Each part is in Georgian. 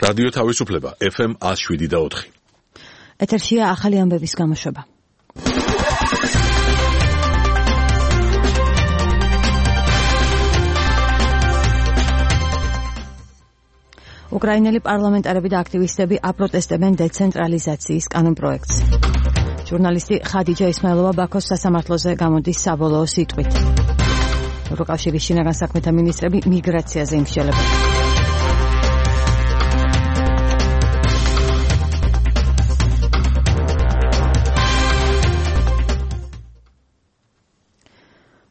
რადიო თავისუფლება FM 107.4. ეთერშია ახალი ამბების გამოშვება. უკრაინელი პარლამენტარები და აქტივისტები აპროტესტებენ დეცენტრალიზაციის კანონპროექტს. ჟურნალისტი ხადიჯა ისმაილოვა ბაქოს სასამართლოზე გამოდის საბოლოო სიტყვით. ევროკავშირის შინაგან საქმეთა მინისტრები მიგრაციაზე იმსჯელებენ.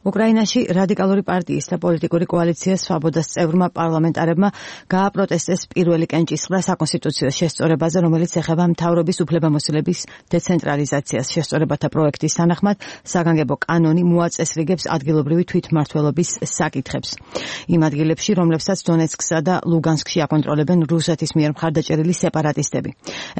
უკრაინაში რადიკალური პარტიის და პოლიტიკური კოალიცია სვაბოდას წევრმა პარლამენტარებმა გააპროტესტეს პირველი კენჭისყრა საკონსტიტუციო შესწორებაზე, რომელიც ეხება მთავრობის უფლებამოსილების დეცენტრალიზაციას. შესწორებათა პროექტის თანახმად საგანგებო კანონი მოაწესრიგებს ადგილობრივი თვითმმართველობის საკითხებს. იმ ადგილებში, რომლებსაც დონეცკსა და ლუგანსკში აკონტროლებენ რუსეთის მიერ მხარდაჭერილი სეპარატისტები.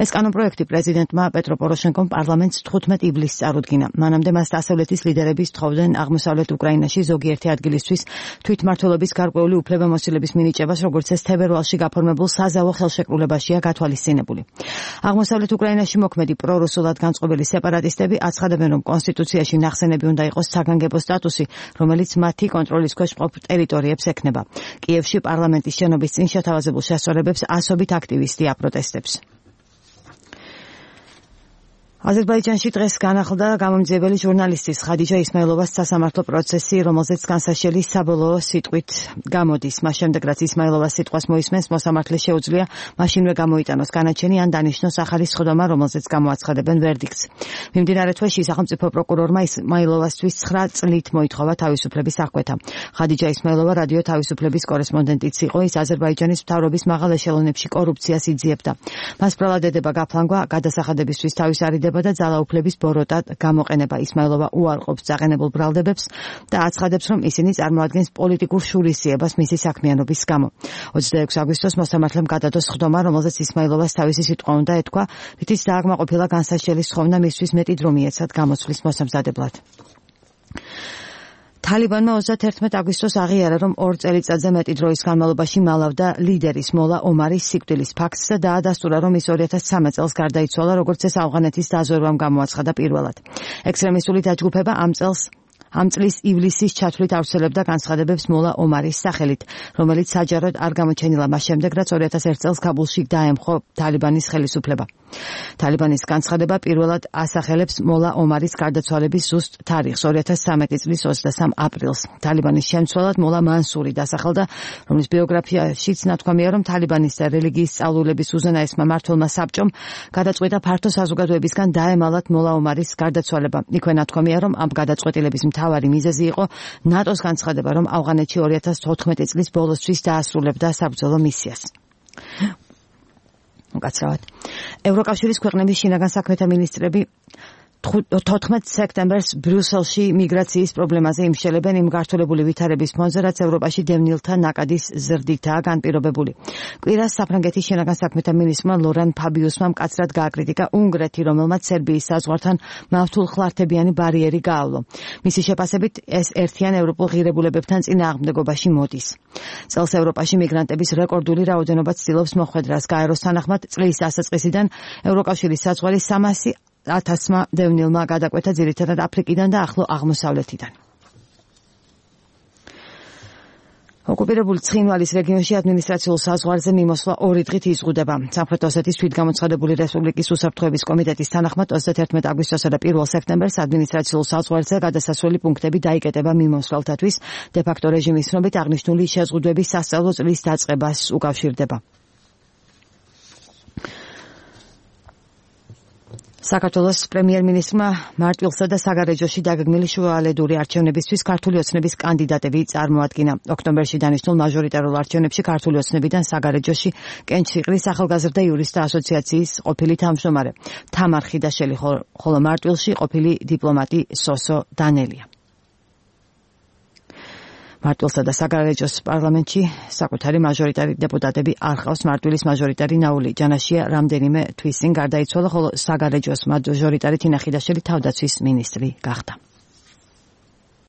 ეს კანონპროექტი პრეზიდენტმა პეტრო პოროშენკომ პარლამენტს 15 ივლისს წარუდგინა. მანამდე მას დასავლეთის ლიდერები სთხოვდნენ აღმოსავლეთ უკრაინაში ზოგიერთი ადგილისთვის თვითმმართველობის გარკვეული უფლებამოსილების მინიჭებას, როგორც ეს თებერვალში გაფორმებულ საზავო ხელშეკრულებაშია გათვალისწინებული. აღმოსავლეთ უკრაინაში მოქმედი პრორუსულად განწყობილი სეპარატისტები აცხადებენ, რომ კონსტიტუციაში ნახსენები უნდა იყოს საგანგებო სტატუსი, რომელიც მათი კონტროლის ქვეშ მყოფ ტერიტორიებს ექნება. კიევში პარლამენტის შენობის წინ შეთავაზებულ შესწორებებს ასობით აქტივისტი აპროტესტებს. აზერბაიჯანში დღეს განახლდა გამომძიებელი ჟურნალისტის ხადიჯა ისმაილოვას სასამართლო პროცესი, რომელზეც განსაშელი საბოლოო სიტყვით გამოდის. მას შემდეგ, რაც ისმაილოვას სიტყვას მოისმენს, მოსამართლეს შეუძლია მაშინვე გამოიტანოს განაჩენი ან დანიშნოს ახალი სხდომა, რომელზეც გამოაცხადებენ ვერდიქტს. მიმდინარე თვეში სახელმწიფო პროკურორმა ისმაილოვასთვის 9 წლით მოითხოვა თავისუფლების აღკვეთა. ხადიჯა ისმაილოვა რადიო თავისუფლების კორესპონდენტიც იყო. ის აზერბაიჯანის მთავრობის მაღალ ეშელონებში კორუფციას იძიებდა. მას ბრალად ედება გაფლანგვა, გადასახადებისთვის თავის არიდება და ძალაუფლების ბოროტად გამოყენება. ისმაილოვა უარყოფს წაყენებულ ბრალდებებს და აცხადებს, რომ ისინი წარმოადგენს პოლიტიკურ შურისძიებას მისი საქმიანობის გამო. 26 აგვისტოს მოსამართლემ გადადო სხდომა, რომელზეც ისმაილოვას თავისი სიტყვა უნდა ეთქვა, რითიც დააკმაყოფილა განსაშელი სხდომა მისთვის მეტი დრო მიეცათ გამოცვლის მოსამზადებლად. თალიბანმა 31 აგვისტოს აღიარა, რომ 2 წელიწადზე მეტი დროის განმავლობაში მალავდა ლიდერის მოლა ომარის სიკვდილის ფაქტს და დაადასტურა, რომ ის 2013 წელს გარდაიცვალა, როგორც ეს ავღანეთის დაზვერვამ გამოაცხადა პირველად. ექსტრემისტული დაჯგუფება ამ წლის ივლისის ჩათვლით ავრცელებდა განცხადებებს მოლა ომარის სახელით, რომელიც საჯაროდ არ გამოჩენილა მას შემდეგ, რაც 2001 წელს ქაბულში დაემხო თალიბანის ხელისუფლება. თალიბანის განცხადება პირველად ასახელებს მოლა ომარის გარდაცვალების ზუსტ თარიღს, 2013 წლის 23 აპრილს. თალიბანის შემცველად მოლა მანსური დასახელდა, რომლის ბიოგრაფიაშიც ნათქვამია, რომ თალიბანის და რელიგიის სწავლულების უზენაესმა მმართველმა საბჭომ გადაწყვიტა ფართო საზოგადოებისგან დაემალათ მოლა ომარის გარდაცვალება. იქვე ნათქვამია, რომ ამ გადაწყვეტილების მთავარი მიზეზი იყო ნატოს განცხადება, რომ ავღანეთში 2014 წლის ბოლოსთვის დაასრულებდა საბრძოლო მისიას. უკაცრავად. ევროკავშირის ქვეყნების შინაგან საქმეთა მინისტრები 14 სექტემბერს ბრიუსელში მიგრაციის პრობლემაზე იმსჯელებენ იმ გართულებული ვითარების ფონზე, რაც ევროპაში დევნილთა ნაკადის ზრდითაა განპირობებული. კვირას საფრანგეთის შინაგან საქმეთა მინისტრმა ლორან ფაბიუსმა მკაცრად გააკრიტიკა უნგრეთი, რომელმაც სერბიის საზღვართან მავთულხლართებიანი ბარიერი გაავლო. მისი შეფასებით, ეს ერთიან ევროპულ ღირებულებებთან წინააღმდეგობაში მოდის. წელს ევროპაში მიგრანტების რეკორდული რაოდენობა ცდილობს მოხვედრას. გაეროს თანახმად, წლის დასაწყისიდან ევროკავშირის საზღვარი 300,000-მა დევნილმა გადაკვეთა ძირითადად აფრიკიდან და ახლო აღმოსავლეთიდან. ოკუპირებული ცხინვალის რეგიონში ადმინისტრაციულ საზღვარზე მიმოსვლა 2 დღით იზღუდება. სამხრეთ ოსეთის თვითგამოცხადებული რესპუბლიკის უსაფრთხოების კომიტეტის თანახმად 31 აგვისტოსა და 1 სექტემბერს ადმინისტრაციულ საზღვარზე გადასასვლელი პუნქტები დაიკეტება მიმოსვლელთათვის. დე-ფაქტო რეჟიმის ცნობით აღნიშნული შეზღუდვების სასწავლო წლის დაწყებას უკავშირდება. საქართველოს პრემიერ-მინისტრმა მარტვილსა და საგარეჯოში დაგეგმილი შუალედური არჩევნებისთვის ქართული ოცნების კანდიდატები წარმოადგინა. ოქტომბერში დანიშნულ მაჟორიტარულ არჩევნებში ქართული ოცნებიდან საგარეჯოში კენჭსიყრის ახალგაზრდა იურისტთა ასოციაციის ყოფილი თავმჯდომარე თამარ ხიდაშელი, ხოლო მარტვილში ყოფილი დიპლომატი სოსო დანელია. მარტვილსა და საგარეჯოს პარლამენტში საკუთარი მაჟორიტარი დეპუტატები არ ყავს. მარტვილის მაჟორიტარი ნაული ჯანაშია რამდენიმე თვის წინ გარდაიცვალა, ხოლო საგარეჯოს მაჟორიტარი თინა ხიდაშელი თავდაცვის მინისტრი გახდა.